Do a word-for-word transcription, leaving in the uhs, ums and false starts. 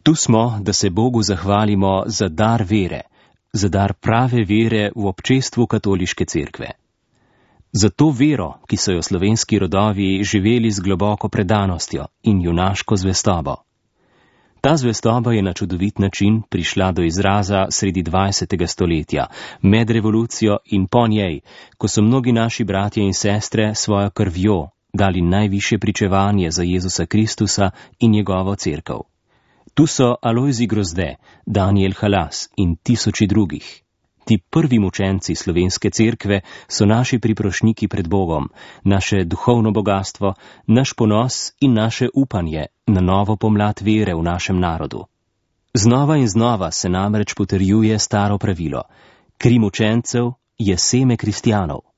Tu smo, da se Bogu zahvalimo za dar vere, za dar prave vere v občestvu katoliške cerkve. Za to vero, ki so jo slovenski rodovi živeli z globoko predanostjo in junaško zvestobo. Ta zvestoba je na čudovit način prišla do izraza sredi dvajsetega stoletja, med revolucijo in po njej, ko so mnogi naši bratje in sestre svojo krvjo dali najvišje pričevanje za Jezusa Kristusa in njegovo cerkev. Tu so Alojzij Grozde, Danijel Halas in tisoči drugih. Ti prvi mučenci slovenske cerkve so naši priprošniki pred Bogom, naše duhovno bogatstvo, naš ponos in naše upanje na novo pomlad vere v našem narodu. Znova in znova se namreč potrjuje staro pravilo: kri mučencev je seme kristjanov.